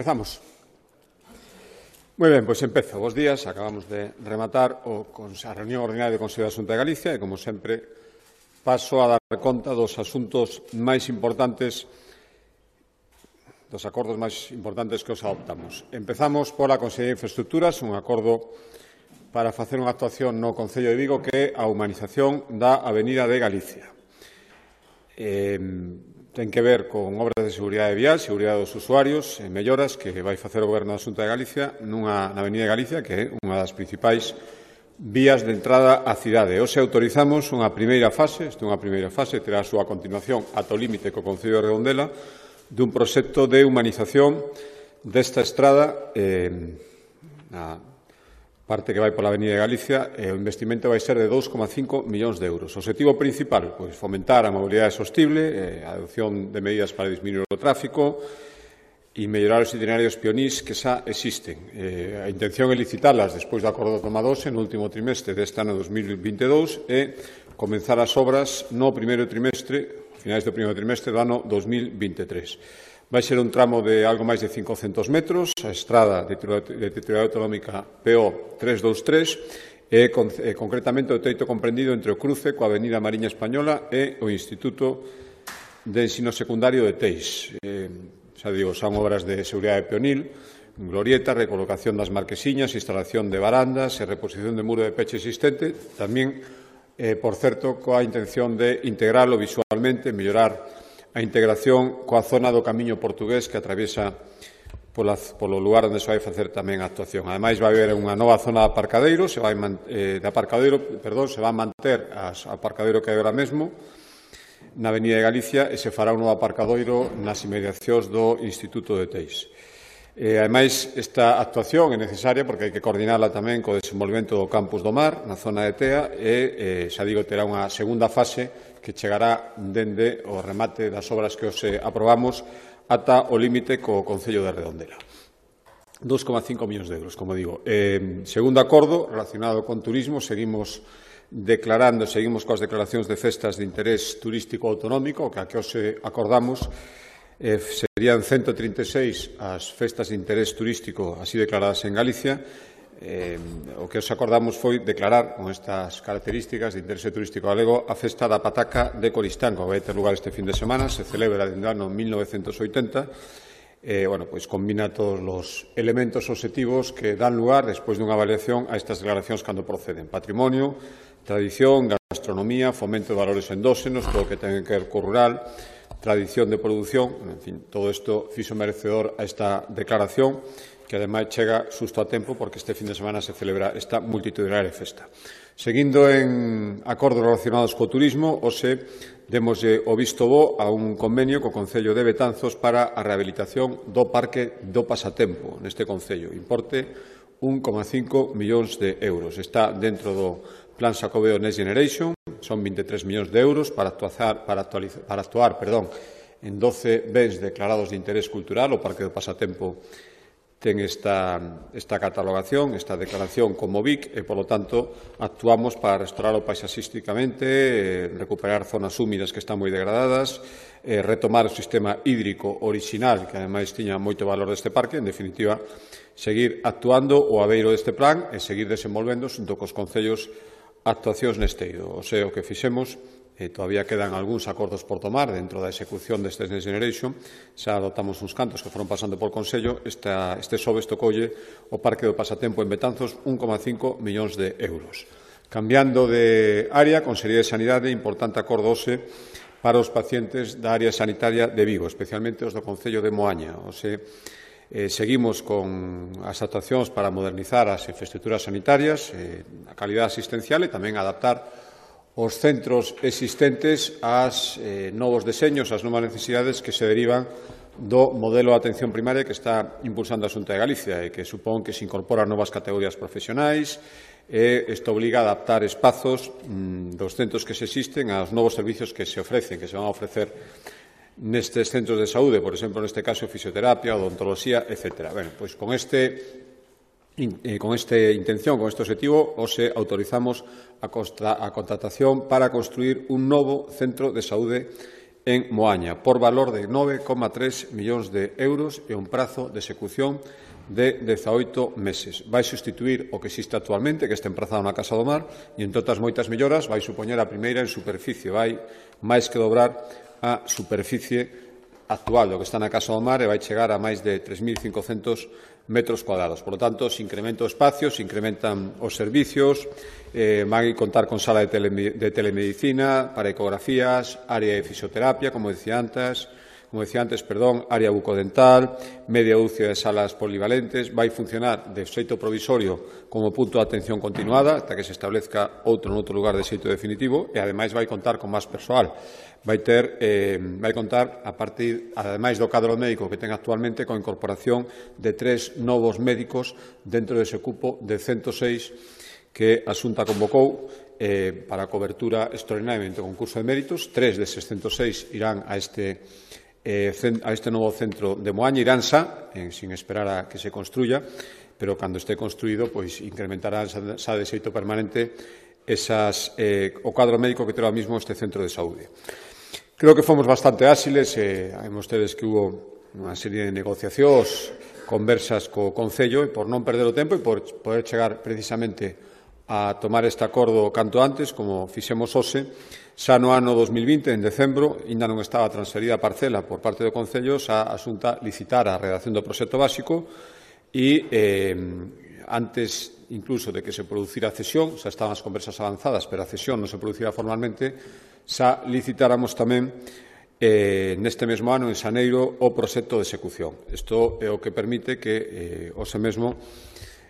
Empezamos. Moi ben, pois empezo. Bos días. Acabamos de rematar a reunión ordinaria do Consello da Xunta de Galicia e, como sempre, paso a dar conta dos asuntos máis importantes, dos acordos máis importantes que os adoptamos. Empezamos pola Consellería de Infraestructuras, un acordo para facer unha actuación no Concello de Vigo que é a humanización da Avenida de Galicia. Ten que ver con obras de seguridade vial, seguridade dos usuarios e melloras que vai facer o Goberno da Xunta de Galicia na Avenida de Galicia, que é unha das principais vías de entrada á cidade. Hoxe autorizamos unha primeira fase, terá a súa continuación ata o límite co Concello de Redondela, dun proxecto de humanización desta estrada na parte que vai pola Avenida de Galicia. O investimento vai ser de 2,5 millóns de euros. O obxectivo principal, pois, fomentar a mobilidade sostible, a adopción de medidas para disminuir o tráfico e mellorar os itinerarios pionís que xa existen. A intención é licitalas despois do acordo tomado hoxe no último trimestre deste ano 2022 e comenzar as obras no primeiro trimestre, finais do primeiro trimestre do ano 2023. Vai ser un tramo de algo máis de 500 metros, a estrada de titularidade autonómica PO 323 e concretamente o treito comprendido entre o cruce coa Avenida Mariña Española e o Instituto de Ensino Secundario de Teis. Xa digo, son obras de seguridade peonil, glorieta, recolocación das marquesiñas, instalación de barandas e reposición de muro de peche existente, tamén, por certo, coa intención de integralo visualmente, mellorar a integración coa zona do Camiño Portugués que atraviesa polo lugar onde se vai facer tamén a actuación. Ademais, vai haber unha nova zona de aparcadeiro, se vai manter o aparcadeiro que hai agora mesmo na Avenida de Galicia e se fará un novo aparcadoiro nas inmediacións do Instituto de Teis. Ademais, esta actuación é necesaria porque hai que coordinarla tamén co desenvolvemento do Campus do Mar na zona de Tea e, xa digo, terá unha segunda fase que chegará dende o remate das obras que hoxe aprobamos ata o límite co Concello de Redondela. 2,5 millóns de euros, como digo. Segundo acordo relacionado con turismo, seguimos coas declaracións de festas de interés turístico autonómico, que a que hoxe acordamos serían 136 as festas de interés turístico así declaradas en Galicia. O que os acordamos foi declarar con estas características de interese turístico galego a festa da pataca de Coristanco, que vai ter lugar este fin de semana, se celebra dende o ano 1980, pois combina todos os elementos obxectivos que dan lugar despois dunha avaliación a estas declaracións cando proceden: patrimonio, tradición, gastronomía, fomento de valores endóxenos, todo o que ten que ver co rural, tradición de produción, en fin, todo isto fixo merecedor a esta declaración, que ademais chega xusto a tempo porque este fin de semana se celebra esta multitudinaria festa. Seguindo en acordos relacionados co turismo, hoxe demoslle o visto bo a un convenio co Concello de Betanzos para a rehabilitación do Parque do Pasatempo neste Concello. Importe 1,5 millóns de euros. Está dentro do Plan Xacobeo Next Generation, son 23 millóns de euros para actuar en 12 bens declarados de interés cultural. O Parque do Pasatempo ten esta catalogación, esta declaración como BIC e, polo tanto, actuamos para restauralo paisaxísticamente, recuperar zonas húmidas que están moi degradadas, retomar o sistema hídrico orixinal, que ademais tiña moito valor deste parque, en definitiva, seguir actuando o abeiro deste plan e seguir desenvolvendo xunto cos concellos actuacións neste eido. O que fixemos, todavía quedan algúns acordos por tomar dentro da execución deste Next Generation. Xa adoptamos uns cantos que foron pasando por Consello. Este xoves tocoulle o Parque do Pasatempo en Betanzos 1,5 millóns de euros. Cambiando de área, Consellería de Sanidade, importante acordo hoxe para os pacientes da área sanitaria de Vigo, especialmente os do Concello de Moaña. Seguimos con as actuacións para modernizar as infraestructuras sanitarias, a calidade asistencial e tamén adaptar os centros existentes ás novos deseños, ás novas necesidades que se derivan do modelo de atención primaria que está impulsando a Xunta de Galicia e que supón que se incorporan novas categorías profesionais e isto obliga a adaptar espazos dos centros que se existen aos novos servicios que se ofrecen, que se van a ofrecer nestes centros de saúde, por exemplo, neste caso, fisioterapia, odontoloxía, etc. Pois con esta intención, con este objetivo, hoxe autorizamos a contratación para construir un novo centro de saúde en Moaña, por valor de 9,3 millóns de euros e un prazo de execución de 18 meses. Vai sustituir o que existe actualmente, que está emprazado na Casa do Mar, e, entre outras moitas melloras, vai supoñer a primeira en superficie, vai máis que dobrar a superficie actual do que está na Casa do Mar e vai chegar a máis de 3.500 metros cuadrados. Por lo tanto, se incrementa o espacio, se incrementan os servicios, van a contar con sala de telemedicina, para ecografías, área de fisioterapia, como decía antes, área bucodental, media dúcia de salas polivalentes, vai funcionar de xeito provisorio como punto de atención continuada ata que se establezca outro noutro lugar de xeito definitivo e, ademais, vai contar con máis persoal. Vai contar, a partir, ademais do cadro médico que ten actualmente, con a incorporación de 3 novos médicos dentro dese cupo de 106 que a Xunta convocou para a cobertura extraordinariamente do concurso de méritos. 3 deses 106 irán a este novo centro de Moaña, irán sin esperar a que se construya, pero cando este construído, pois incrementará xa de xeito permanente o cadro médico que ten ahora mismo este centro de saúde. Creo que fomos bastante áxiles, vemos ustedes que hubo unha serie de negociacións, conversas co Concello, e por non perder o tempo e por poder chegar precisamente a tomar este acordo canto antes, como fixemos hoxe, xa no ano 2020, en decembro, ainda non estaba transferida a parcela por parte do Concello, xa a Xunta licitara a redacción do proxecto básico e antes incluso de que se producira a cesión, xa estaban as conversas avanzadas, pero a cesión non se producira formalmente, xa licitáramos tamén neste mesmo ano, en xaneiro, o proxecto de execución. Isto é o que permite que hoxe mesmo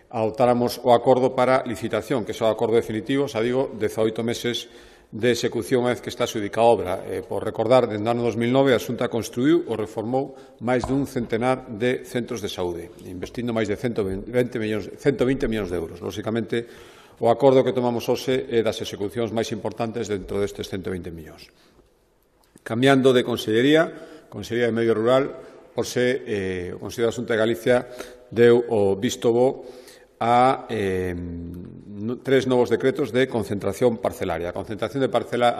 adoptáramos o acordo para licitación, que é o acordo definitivo, xa digo, 18 meses de execución unha vez que está adxudicada a obra. Por recordar, dende o ano 2009 a Xunta construiu ou reformou máis dun centenar de centros de saúde, investindo máis de 120 millóns de euros. Lóxicamente, o acordo que tomamos hoxe é das execucións máis importantes dentro destes 120 millóns. Cambiando de Consellería de Medio Rural, hoxe o Consello da Xunta de Galicia deu o visto bo a 3 novos decretos de concentración parcelaria. A concentración parcelaria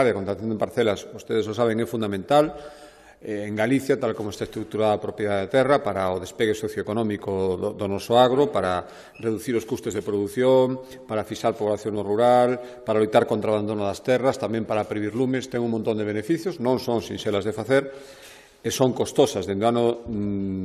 e a concentración de parcelas, ustedes o saben, é fundamental en Galicia, tal como está estruturada a propiedade de terra, para o despegue socioeconómico do noso agro, para reducir os custes de produción, para fixar población no rural, para loitar contra o abandono das terras, tamén para previr lumes. Ten un montón de beneficios, non son sinxelas de facer, e son costosas. Dende o ano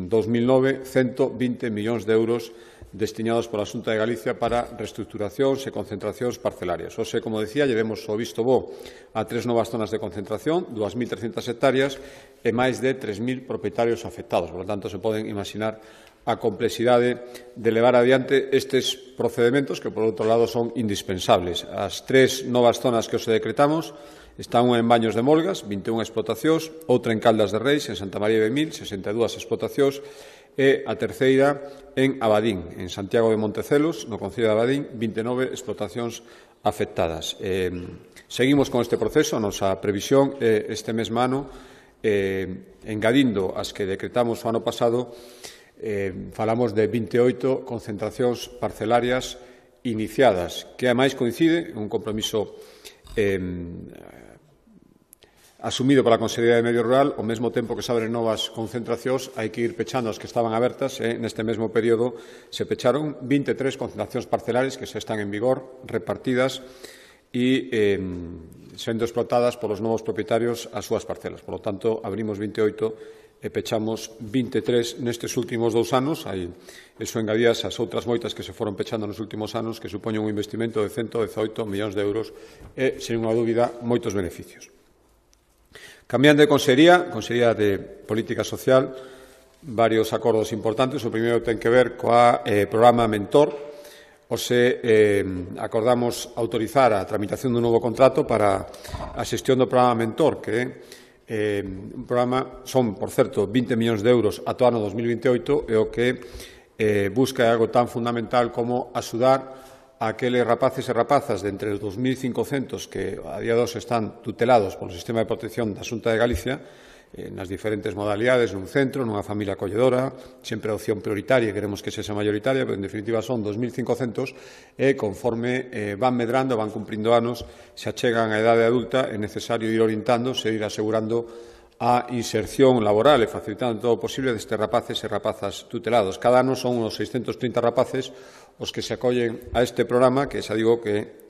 2009, 120 millóns de euros destinados pola Xunta de Galicia para reestructuracións e concentracións parcelarias. Hoxe, como decía, lle demos o visto bo a 3 novas zonas de concentración, 2.300 hectáreas e máis de 3.000 propietarios afectados. Por lo tanto, se poden imaginar a complexidade de levar adiante estes procedementos que, por outro lado, son indispensables. As 3 novas zonas que hoxe decretamos están unha en Baños de Molgas, 21 explotacións, outra en Caldas de Reis, en Santa María de Mil, 62 explotacións, e a terceira en Abadín, en Santiago de Montecelos, no Concello de Abadín, 29 explotacións afectadas. Seguimos con este proceso, a nosa previsión este mesmo ano, engadindo as que decretamos o ano pasado, falamos de 28 concentracións parcelarias iniciadas, que ademais coincide un compromiso asumido pola Consellería de Medio Rural. Ao mesmo tempo que se abren novas concentracións, hai que ir pechando as que estaban abertas. Neste mesmo período se pecharon 23 concentracións parcelares que xa están en vigor, repartidas e sendo explotadas polos novos propietarios as súas parcelas. Por lo tanto, abrimos 28 e pechamos 23 nestes últimos 2 anos. Iso engadías as outras moitas que se foron pechando nos últimos anos, que supoñen un investimento de 118 millóns de euros e, sen unha dúbida, moitos beneficios. Cambiando de Consellería de Política Social, varios acordos importantes. O primeiro ten que ver coa programa Mentor. Hoxe acordamos autorizar a tramitación dun novo contrato para a xestión do programa Mentor, que un programa, son, por certo, 20 millóns de euros ata o ano 2028, e o que busca algo tan fundamental como axudar a aqueles rapaces e rapazas de entre os 2.500 que a día de hoxe están tutelados polo Sistema de Protección da Xunta de Galicia, nas diferentes modalidades, nun centro, nunha familia acolledora, sempre a opción prioritaria, queremos que sexa maioritaria, pero en definitiva son 2.500 e conforme van medrando, van cumprindo anos, se achegan á idade adulta, é necesario ir orientándose, ir asegurando a inserción laboral e facilitando todo o posible destes rapaces e rapazas tutelados. Cada ano son unos 630 rapaces os que se acollen a este programa, que xa digo que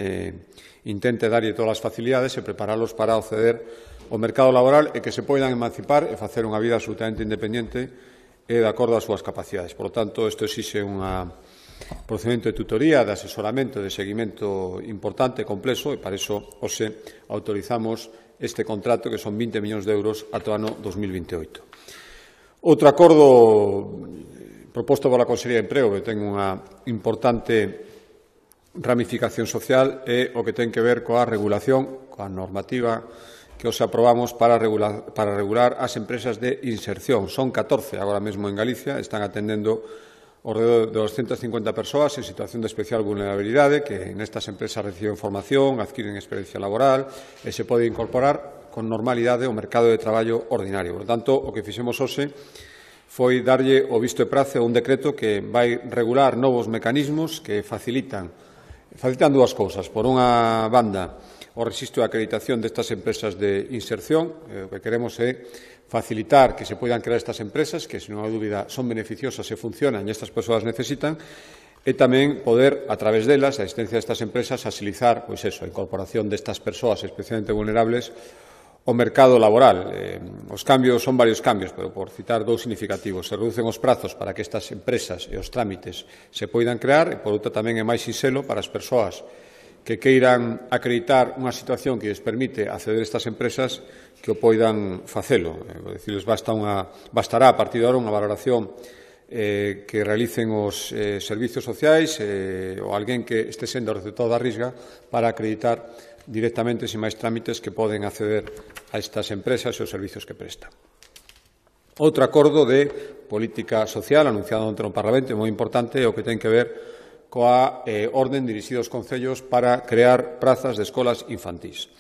intente darlle todas as facilidades e preparalos para acceder ao mercado laboral e que se poidan emancipar e facer unha vida absolutamente independente e de acordo ás súas capacidades. Por lo tanto, isto exixe un procedimento de tutoría, de asesoramento, de seguimento importante e complexo e para iso hoxe autorizamos este contrato que son 20 millóns de euros ata o ano 2028. Outro acordo proposto pola Consellería de Emprego que ten unha importante ramificación social é o que ten que ver coa regulación, coa normativa que os aprobamos para regular as empresas de inserción. Son 14 agora mesmo en Galicia, están atendendo ao redor de 250 persoas en situación de especial vulnerabilidade que nestas empresas reciben formación, adquiren experiencia laboral e se pode incorporar con normalidade ao mercado de traballo ordinario. Por tanto, o que fixemos hoxe foi darlle o visto e prace a un decreto que vai regular novos mecanismos que facilitan dúas cousas. Por unha banda, o rexistro de acreditación destas empresas de inserción. O que queremos é facilitar que se poidan crear estas empresas, que, sen unha dúbida, son beneficiosas e funcionan e estas persoas necesitan, e tamén poder, a través delas, a existencia destas empresas, agilizar a incorporación destas persoas especialmente vulnerables ao mercado laboral. Os cambios son varios cambios, pero por citar dous significativos. Se reducen os prazos para que estas empresas e os trámites se poidan crear, e, por outra, tamén é máis sinxelo para as persoas que queiran acreditar unha situación que lles permite acceder a estas empresas que o poidan facelo. Bastará a partir de agora unha valoración que realicen os servizos sociais ou alguén que este sendo receptor da Risga para acreditar directamente sin máis trámites que poden acceder a estas empresas e os servizos que prestan. Outro acordo de política social anunciado onte no Parlamento moi importante é o que ten que ver coa orden dirixida aos concellos para crear prazas de escolas infantís.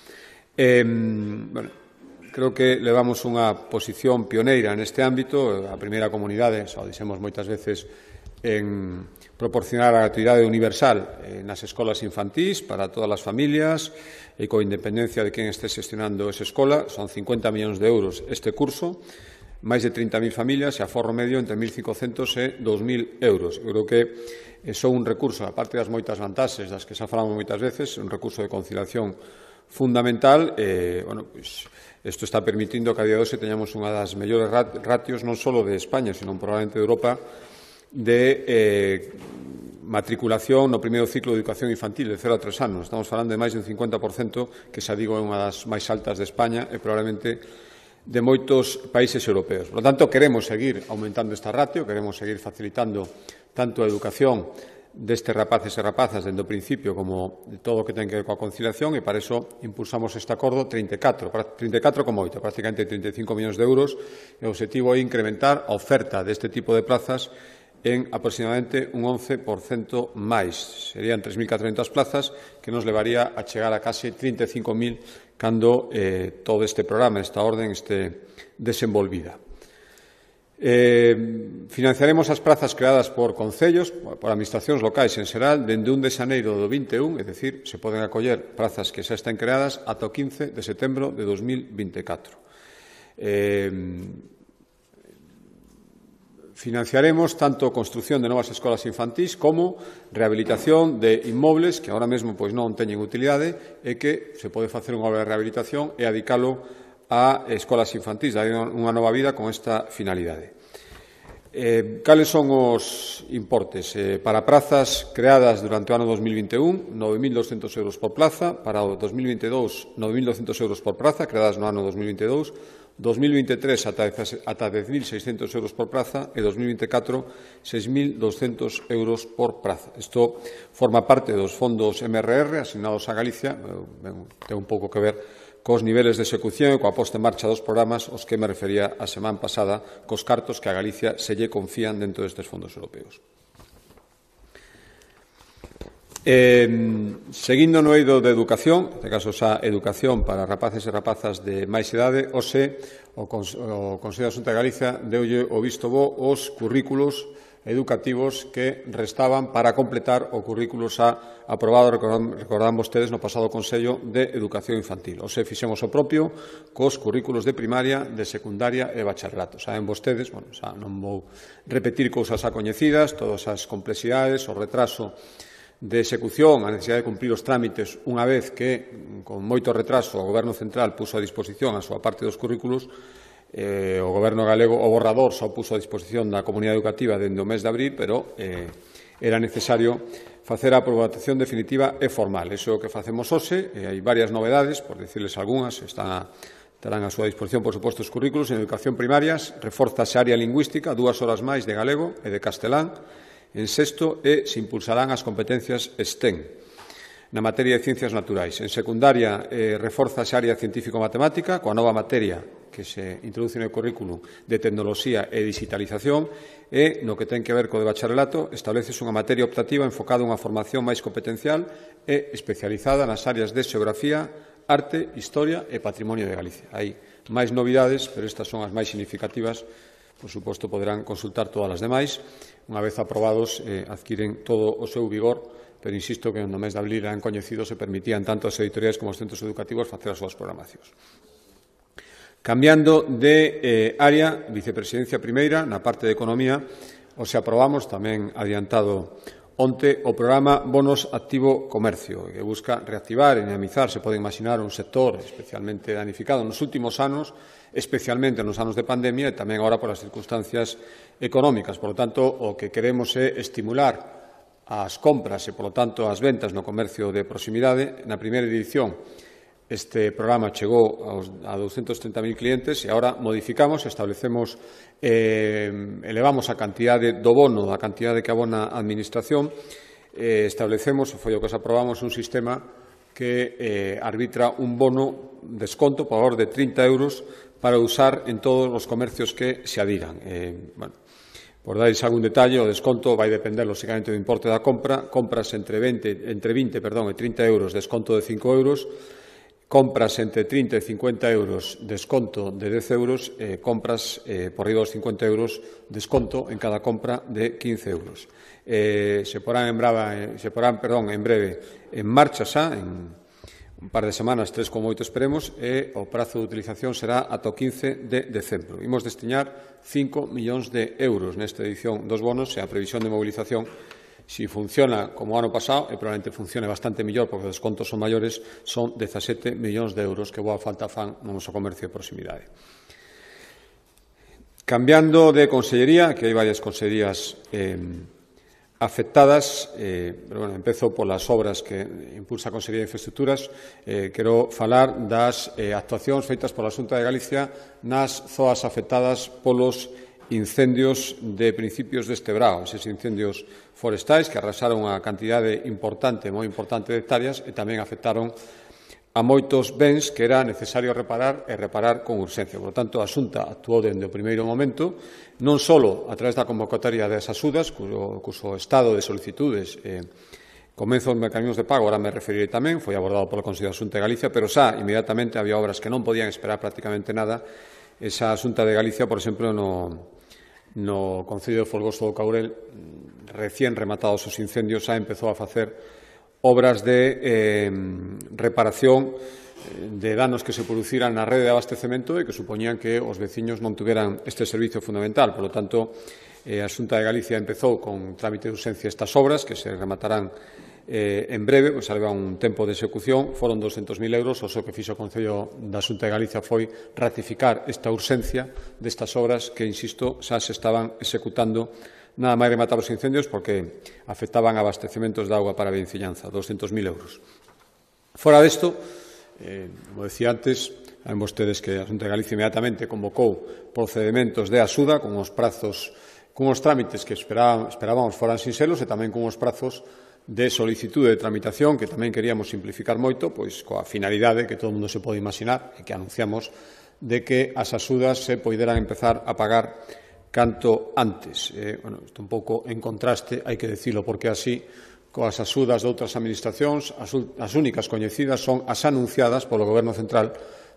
Creo que levamos unha posición pioneira neste ámbito. A primeira comunidade, xa o dixemos moitas veces, en proporcionar a gratuidade universal nas escolas infantís para todas as familias e coa independencia de quen este xestionando esa escola. Son 50 millóns de euros este curso, máis de 30.000 familias e aforro medio entre 1.500 e 2.000 euros. Eu creo que son un recurso, aparte das moitas vantaxes das que xa falamos moitas veces, un recurso de conciliación fundamental. Isto está permitindo que a día de hoxe teñamos unha das mellores ratios non só de España, sino probablemente de Europa, de matriculación no primeiro ciclo de educación infantil de 0 a 3 anos. Estamos falando de máis de un 50%, que xa digo é unha das máis altas de España e probablemente de moitos países europeos. Por lo tanto, queremos seguir aumentando esta ratio, queremos seguir facilitando tanto a educación destes rapaces e rapazas dende o principio como de todo o que ten que ver coa conciliación e para iso impulsamos este acordo 34,8, prácticamente 35 millóns de euros e o objetivo é incrementar a oferta deste tipo de plazas en aproximadamente un 11% máis. Serían 3.400 plazas que nos levaría a chegar a case 35.000 cando todo este programa, esta orden, este desenvolvida. Financiaremos as prazas creadas por concellos, por administracións locais en xeral, dende 1 de xaneiro do 21, é dicir, se poden acoller prazas que xa estén creadas ata o 15 de setembro de 2024. Financiaremos tanto construción de novas escolas infantís como rehabilitación de inmobles que agora mesmo non teñen utilidade e que se pode facer unha obra de rehabilitación e adicalo a escolas infantís, dar unha nova vida con esta finalidade. Cales son os importes? Para prazas creadas durante o ano 2021, 9.200 euros por plaza, para o 2022, 9.200 euros por praza, creadas no ano 2022, 2023 ata 10.600 euros por praza e 2024 6.200 euros por praza. Isto forma parte dos fondos MRR asignados a Galicia, ten un pouco que ver cos niveles de execución e coa posta en marcha dos programas aos que me refería a semana pasada, cos cartos que a Galicia se lle confían dentro destes fondos europeos. Seguindo no eido de educación, neste caso xa educación para rapaces e rapazas de máis idade, hoxe o Consello da Xunta de Galicia deulle o visto bo os currículos educativos que restaban para completar o currículo xa aprobado, recordan vostedes, no pasado Consello de Educación Infantil. Hoxe fixemos o propio cos currículos de primaria, de secundaria e bacharelato. Saben vostedes, xa non vou repetir cousas xa coñecidas, todas as complexidades, o retraso de execución, a necesidade de cumprir os trámites unha vez que, con moito retraso, o Goberno Central puso a disposición a súa parte dos currículos, o Goberno galego o borrador xa o puso a disposición da comunidade educativa dende o mes de abril, pero era necesario facer a aprobación definitiva e formal. Iso é o que facemos hoxe, e hai varias novedades, por dicirles algunhas, estarán a súa disposición, por suposto, os currículos. En educación primarias, reforzase a área lingüística, 2 horas máis de galego e de castelán. En sexto, se impulsarán as competencias STEM na materia de ciencias naturais. En secundaria, reforzase a área científico-matemática coa nova materia que se introduce no currículo de tecnoloxía e digitalización, e no que ten que ver co de bacharelato, establecese unha materia optativa enfocada a unha formación máis competencial e especializada nas áreas de xeografía, arte, historia e patrimonio de Galicia. Hai máis novidades, pero estas son as máis significativas. Por suposto, poderán consultar todas as demais. Unha vez aprobados, adquiren todo o seu vigor, pero insisto que no mes de abril eran coñecidos e permitían tanto as editoriais como os centros educativos facer as súas programacións. Cambiando de área, vicepresidencia primeira, na parte de economía, hoxe aprobamos, tamén adiantado onte, o programa Bonos Activo Comercio, que busca reactivar e dinamizar, se pode imaginar, un sector especialmente danificado nos últimos anos, especialmente nos anos de pandemia e tamén agora por as circunstancias económicas. Por lo tanto, o que queremos é estimular as compras e, por lo tanto, as ventas no comercio de proximidade. Na primeira edición, este programa chegou a 230.000 clientes e agora modificamos, establecemos, elevamos a cantidade do bono, a cantidade que abona a Administración, establecemos, foi o que aprobamos, un sistema que arbitra un bono desconto por valor de 30 euros para usar en todos os comercios que se adiran. Por darles algún detalle, o desconto vai depender, lógicamente, do importe da compra. Compras entre 20 e 30 euros, desconto de 5 euros. Compras entre 30 e 50 euros, desconto de 10 euros. Compras por riba dos 50 euros, desconto en cada compra de 15 euros. Se porán en breve en marcha xa, en un par de semanas, 3 como 8 esperemos, e o prazo de utilización será ata o 15 de decembro. Imos destinar 5 millóns de euros nesta edición dos bonos e a previsión de movilización, se funciona como o ano pasado, e probablemente funcione bastante mellor porque os descontos son maiores, son 17 millóns de euros que boa falta fan no noso comercio de proximidade. Cambiando de consellería, que hai varias consellerías afectadas, pero empezo polas obras que impulsa a Consellería de Infraestructuras. Quero falar das actuacións feitas pola Xunta de Galicia nas zoas afectadas polos incendios de principios deste verao, eses incendios forestais que arrasaron a cantidade importante, moi importante de hectáreas e tamén afectaron a moitos bens que era necesario reparar e reparar con urxencia. Por lo tanto, a Xunta actuou dende o primeiro momento, non só a través da convocatoria das axudas, cuso estado de solicitudes comenzo os mecanismos de pago, agora me referirei tamén, foi abordado polo Consello da Xunta de Galicia, pero xa inmediatamente había obras que non podían esperar prácticamente nada. Esa Xunta de Galicia, por exemplo, no Concello de Folgoso do Caurel, recén rematados os incendios, xa empezou a facer obras de reparación de danos que se produciran na rede de abastecemento e que supoñían que os veciños non tuveran este servicio fundamental. Por lo tanto, a Xunta de Galicia empezou con trámite de urxencia estas obras que se rematarán en breve, pois leva un tempo de execución, foron 200.000 euros, o que fixo o Concello da Xunta de Galicia foi ratificar esta urxencia destas obras que, insisto, xa se estaban executando nada máis rematar os incendios porque afectaban abastecementos de auga para a vecinanza, 200.000 euros. Fora desto, como decía antes, saben vostedes que a Xunta de Galicia inmediatamente convocou procedementos de axuda con os prazos, con os trámites que esperábamos foran sinxelos e tamén con os prazos de solicitude de tramitación que tamén queríamos simplificar moito, pois coa finalidade que todo o mundo se pode imaginar e que anunciamos de que as axudas se poideran empezar a pagar canto antes. Isto un pouco en contraste, hai que dicilo porque así, coas axudas de outras administracións. As únicas coñecidas son as anunciadas polo Goberno Central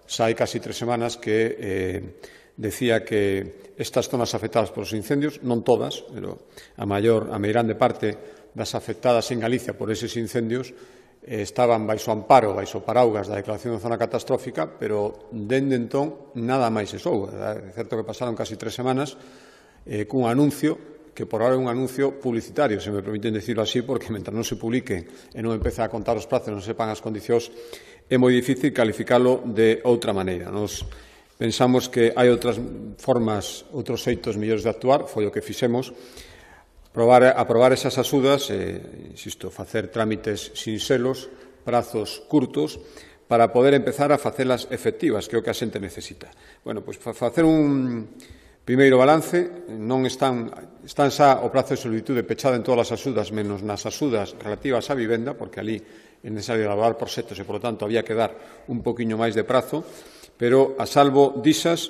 xa hai casi 3 semanas, que decía que estas zonas afectadas polos incendios, non todas, pero a meirande parte das afectadas en Galicia por eses incendios, estaban baixo amparo, baixo paraugas da declaración de zona catastrófica, pero dende entón nada máis se soubo. É certo que pasaron casi 3 semanas cun anuncio que por ahora é un anuncio publicitario, se me permiten decirlo así, porque mentre non se publique e non empece a contar os prazos, non sepan as condicións, é moi difícil calificalo de outra maneira. Nos pensamos que hai outras formas, outros xeitos mellores de actuar, foi o que fixemos, aprobar esas axudas, insisto, facer trámites sinxelos, prazos curtos, para poder empezar a facelas efectivas, que é o que a xente necesita. Bueno, pois facer un primeiro balance, non están xa o prazo de solicitude pechado en todas as axudas, menos nas axudas relativas á vivenda, porque ali é necesario elaborar proxectos e, por lo tanto, había que dar un poquinho máis de prazo, pero, a salvo disas,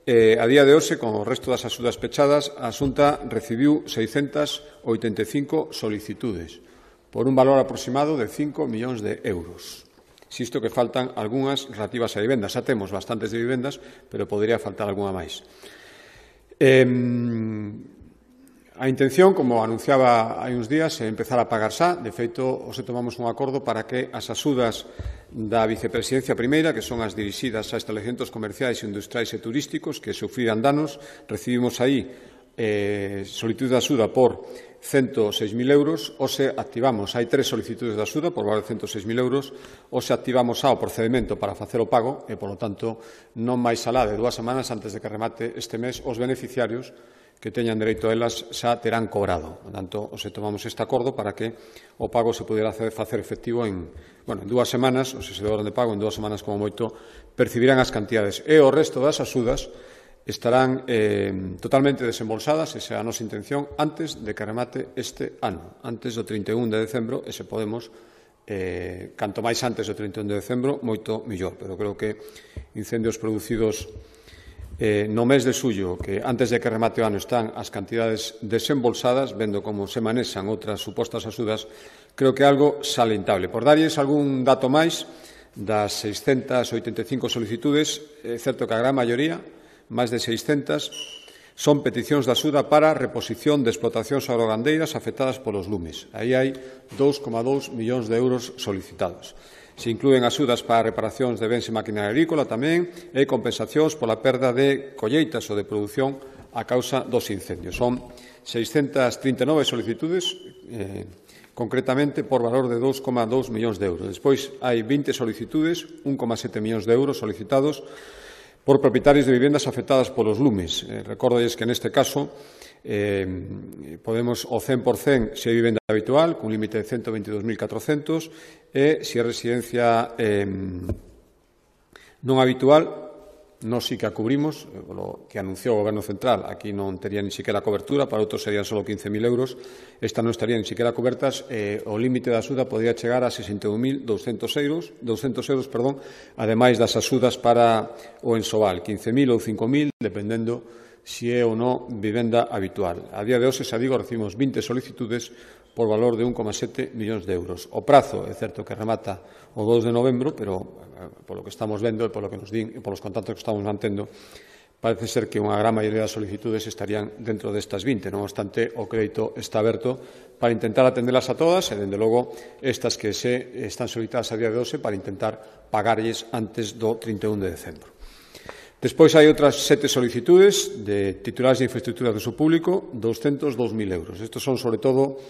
a día de hoxe, con o resto das axudas pechadas, a Xunta recibiu 685 solicitudes, por un valor aproximado de 5 millóns de euros. Insisto que faltan algunhas relativas a vivendas. Xa temos bastantes de vivendas, pero podría faltar algunha máis. A intención, como anunciaba hai uns días, é empezar a pagar xa. De feito, hoxe tomamos un acordo para que as axudas da Vicepresidencia Primeira, que son as dirixidas a establecementos comerciais, industriais e turísticos que sufriran danos, recibimos aí solicitude de axuda por 106.000 euros. Hoxe activamos, hai 3 solicitudes de axuda por valor de 106.000 euros. Hoxe activamos xa o procedemento para facer o pago e, polo tanto, non máis alá de 2 semanas antes de que remate este mes, os beneficiarios que teñan dereito a elas xa terán cobrado. Por tanto, hoxe tomamos este acordo para que o pago se pudera facer efectivo en 2 semanas, ou se demoran de pago, en 2 semanas como moito, percibirán as cantidades. E o resto das axudas estarán totalmente desembolsadas, esa é a nosa intención, antes de que remate este ano, antes do 31 de decembro, e se podemos, canto máis antes do 31 de decembro, moito mellor. Pero creo que incendios producidos no mes de xullo, que antes de que remate o ano están as cantidades desembolsadas, vendo como se manexan outras supostas axudas, creo que é algo salentable. Por darlles algún dato máis, das 685 solicitudes, é certo que a gran maioría, máis de 600, son peticións de axuda para reposición de explotacións agrogandeiras afectadas polos lumes. Aí hai 2,2 millóns de euros solicitados. Se inclúen axudas para reparacións de bens e maquinaria agrícola tamén e compensacións pola perda de colleitas ou de produción a causa dos incendios. Son 639 solicitudes, concretamente por valor de 2,2 millóns de euros. Despois hai 20 solicitudes, 1,7 millóns de euros solicitados por propietarios de vivendas afectadas polos lumes. Recórdolles que neste caso podemos o 100% se é vivenda habitual, cun límite de 122.400, e se é residencia non habitual, nós sí que a cubrimos, lo que anunciou o Goberno Central, aquí non tería ni siquiera cobertura, para outros serían só 15.000 euros, esta non estaría ni siquiera cobertas, o límite da axuda podría chegar a 61.200 euros, ademais das axudas para o ensobal, 15.000 ou 5.000, dependendo se é ou non vivenda habitual. A día de hoxe, xa digo, recibimos 20 solicitudes por valor de 1,7 millóns de euros. O prazo, é certo que remata o 2 de novembro, pero polo que estamos vendo e polo que nos din e polos contactos que estamos mantendo, parece ser que unha gran maioría das solicitudes estarían dentro destas 20. Non obstante, o crédito está aberto para intentar atendelas a todas e, dende logo, estas que se están solicitadas a día de hoxe para intentar pagarlles antes do 31 de decembro. Despois hai outras 7 solicitudes de titulares de infraestructuras do uso público, 202.000 euros. Estos son, sobre todo,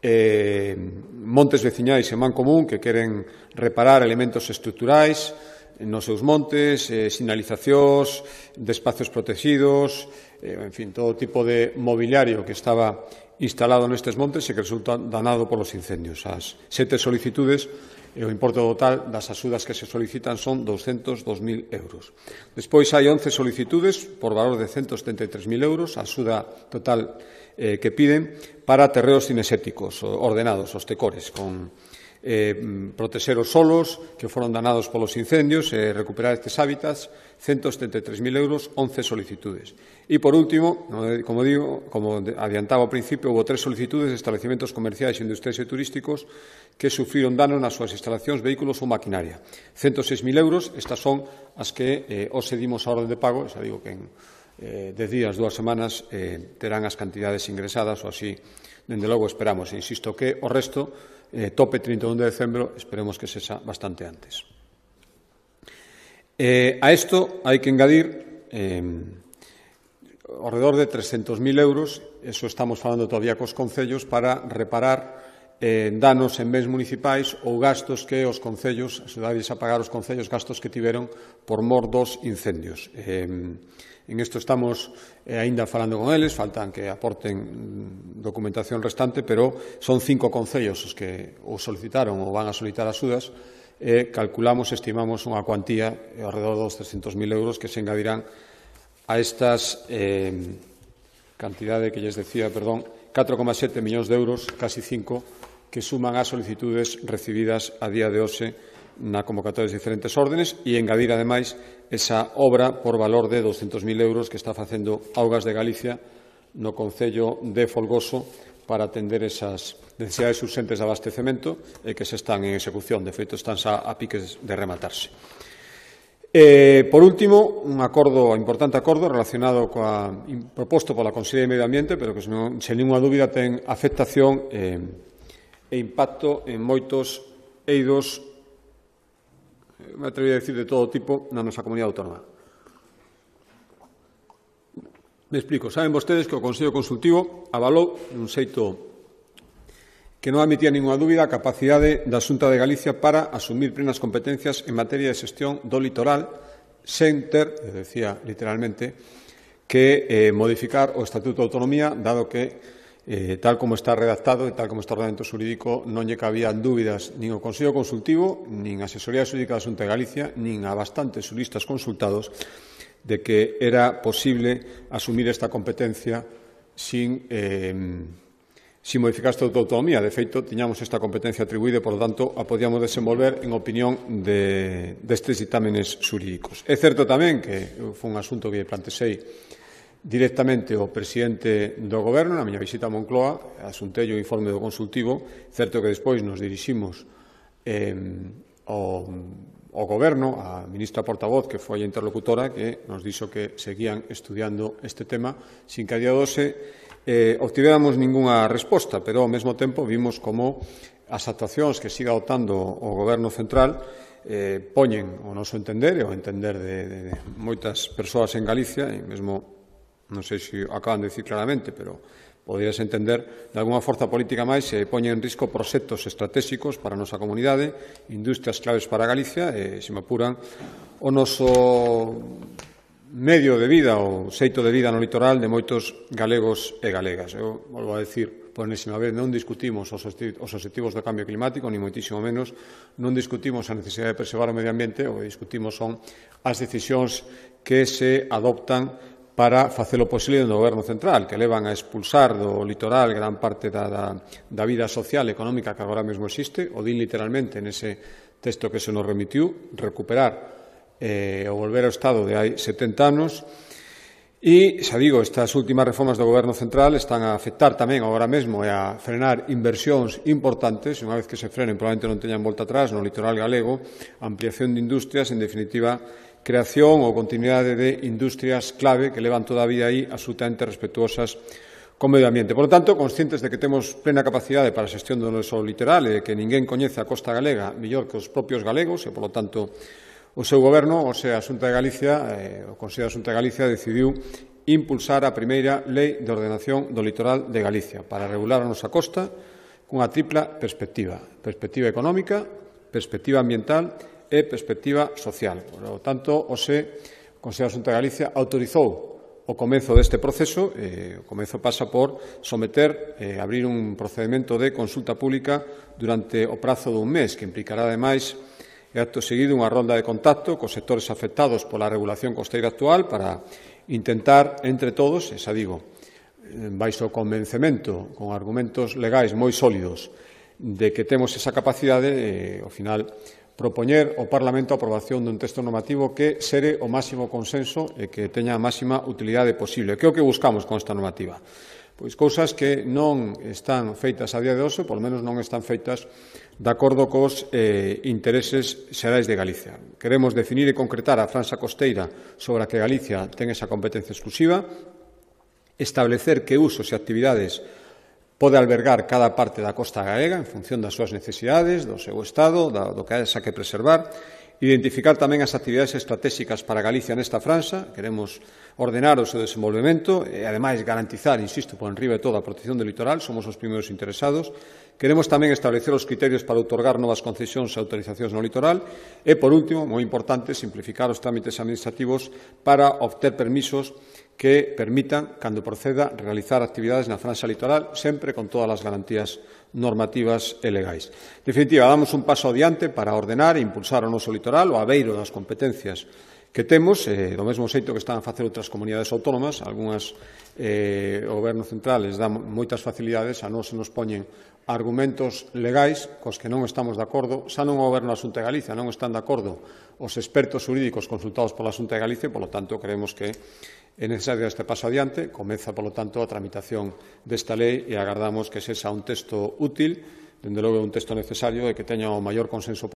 montes veciñais en man común que queren reparar elementos estruturais nos seus montes, sinalizacións de espacios protegidos, en fin, todo tipo de mobiliario que estaba instalado nestes montes e que resulta danado polos incendios. As 7 solicitudes e o importe total das axudas que se solicitan son 202.000 euros. Despois hai 11 solicitudes por valor de 173.000 euros, a axuda total que piden para terreos cinexéticos ordenados, os TECORES, con protexer os solos que foron danados polos incendios e recuperar estes hábitats, 173.000 euros, 11 solicitudes. E, por último, como adiantaba ao principio, houve 3 solicitudes de estabelecimentos comerciais, industriais e turísticos que sufriron danos nas súas instalacións, vehículos ou maquinaria. 106.000 euros, estas son as que os cedimos a orden de pago, xa digo que en 10 días, 2 semanas, terán as cantidades ingresadas, ou así, dende logo, esperamos. Insisto que o resto, tope 31 de decembro, esperemos que sexa bastante antes. A isto hai que engadir ao redor de 300.000 euros, eso estamos falando todavía cos concellos, para reparar danos en bens municipais ou gastos que os concellos, axudarlles a pagar os concellos gastos que tiveron por mor dos incendios. En isto estamos aínda falando con eles, faltan que aporten documentación restante, pero son 5 concellos os que o solicitaron ou van a solicitar axudas, e calculamos, estimamos unha cuantía ao redor dos 300.000 euros que se engadirán a estas cantidade que lles decía, 4,7 millóns de euros, casi 5, que suman as solicitudes recibidas a día de hoxe na convocatoria de diferentes órdenes, e engadir, ademais, esa obra por valor de 200.000 euros que está facendo Augas de Galicia no concello de Folgoso para atender esas necesidades urxentes de abastecemento e que se están en execución. De feito, están xa a piques de rematarse. Por último, un importante acordo relacionado proposto pola Consellería de Medio Ambiente, pero que, sen ninguna dúbida, ten afectación e impacto en moitos eidos, me atrevería a decir, de todo tipo na nosa comunidade autónoma. Me explico. Saben vostedes que o Consello Consultivo avalou un xeito que non admitía ninguna dúbida a capacidade da Xunta de Galicia para asumir plenas competencias en materia de xestión do litoral sen ter, decía literalmente, que modificar o Estatuto de Autonomía, dado que, tal como está redactado e tal como está o ordenamento xurídico, non lle cabían dúbidas nin ao Consello Consultivo, nin a Asesoría Xurídica da Xunta de Galicia, nin a bastantes xuristas consultados, de que era posible asumir esta competencia sin modificar o Estatuto de Autonomía. De feito, tiñamos esta competencia atribuída e, por lo tanto, a podíamos desenvolver en opinión destes ditámenes xurídicos. É certo tamén que foi un asunto que plantexei directamente ao presidente do Goberno na miña visita a Moncloa, asuntei o informe do consultivo. Certo que despois nos diriximos ao Goberno, a ministra portavoz, que foi a interlocutora, que nos dixo que seguían estudiando este tema, sin que a día de hoxe obtivéramos ningunha resposta, pero ao mesmo tempo vimos como as actuacións que siga adoptando o Goberno central poñen o noso entender e o entender de moitas persoas en Galicia, e mesmo, non sei se acaban de dicir claramente, pero poderías entender, de alguna forza política máis, se poñen en risco proxectos estratégicos para a nosa comunidade, industrias claves para Galicia, e, se me apuran, o noso medio de vida, o xeito de vida no litoral de moitos galegos e galegas. Eu volvo a decir, por enésima vez, non discutimos os obxectivos do cambio climático, ni moitísimo menos, non discutimos a necesidade de preservar o medio ambiente, o que discutimos son as decisións que se adoptan para facer o posible no Goberno central, que levan a expulsar do litoral gran parte da vida social e económica que agora mesmo existe, o din literalmente nese texto que se nos remitiu, recuperar ou volver ao estado de hai 70 anos. E, xa digo, estas últimas reformas do Goberno central están a afectar tamén agora mesmo e a frenar inversións importantes, e unha vez que se frenen probablemente non teñan volta atrás no litoral galego, ampliación de industrias, en definitiva, creación ou continuidade de industrias clave que levan toda a vida aí absolutamente respetuosas co medio ambiente. Por lo tanto, conscientes de que temos plena capacidade para a xestión do noso litoral e de que ninguén coñece a costa galega mellor que os propios galegos e, por lo tanto, o seu goberno, o sea, a Xunta de Galicia, o Consello da Xunta de Galicia, decidiu impulsar a primeira Lei de Ordenación do Litoral de Galicia para regular a nosa costa cunha tripla perspectiva. Perspectiva económica, perspectiva ambiental e perspectiva social. Por lo tanto, o Consello da Xunta de Galicia autorizou o comezo deste proceso. O comezo pasa por abrir un procedimento de consulta pública durante o prazo dun mes, que implicará, ademais, acto seguido, unha ronda de contacto cos sectores afectados pola regulación costeira actual para intentar, entre todos, baixo convencemento, con argumentos legais moi sólidos, de que temos esa capacidade, ao final, propoñer ao Parlamento a aprobación dun texto normativo que xere o máximo consenso e que teña a máxima utilidade posible. Que é o que buscamos con esta normativa? Pois cousas que non están feitas a día de hoxe, polo menos non están feitas de acordo cos intereses xerais de Galicia. Queremos definir e concretar a franxa costeira sobre a que Galicia ten esa competencia exclusiva, establecer que usos e actividades pode albergar cada parte da costa galega en función das súas necesidades, do seu estado, do que haxa que preservar, identificar tamén as actividades estratégicas para Galicia nesta franxa, queremos ordenar o seu desenvolvemento e, ademais, garantizar, insisto, por enriba de todo, a protección do litoral, somos os primeiros interesados. Queremos tamén establecer os criterios para outorgar novas concesións e autorizacións no litoral e, por último, moi importante, simplificar os trámites administrativos para obter permisos que permitan, cando proceda, realizar actividades na franxa litoral, sempre con todas as garantías normativas e legais. En definitiva, damos un paso adiante para ordenar e impulsar o noso litoral, o abeiro das competencias que temos, do mesmo xeito que están a facer outras comunidades autónomas, algunhas o Goberno central les dá moitas facilidades, a nós se nos poñen argumentos legais cos que non estamos de acordo, xa non o Goberno da Xunta de Galicia, non están de acordo os expertos xurídicos consultados pola Xunta de Galicia, polo tanto, creemos que é necesario este paso adiante, comeza, polo tanto, a tramitación desta lei e agardamos que sexa un texto útil, dende logo un texto necesario e que teña o maior consenso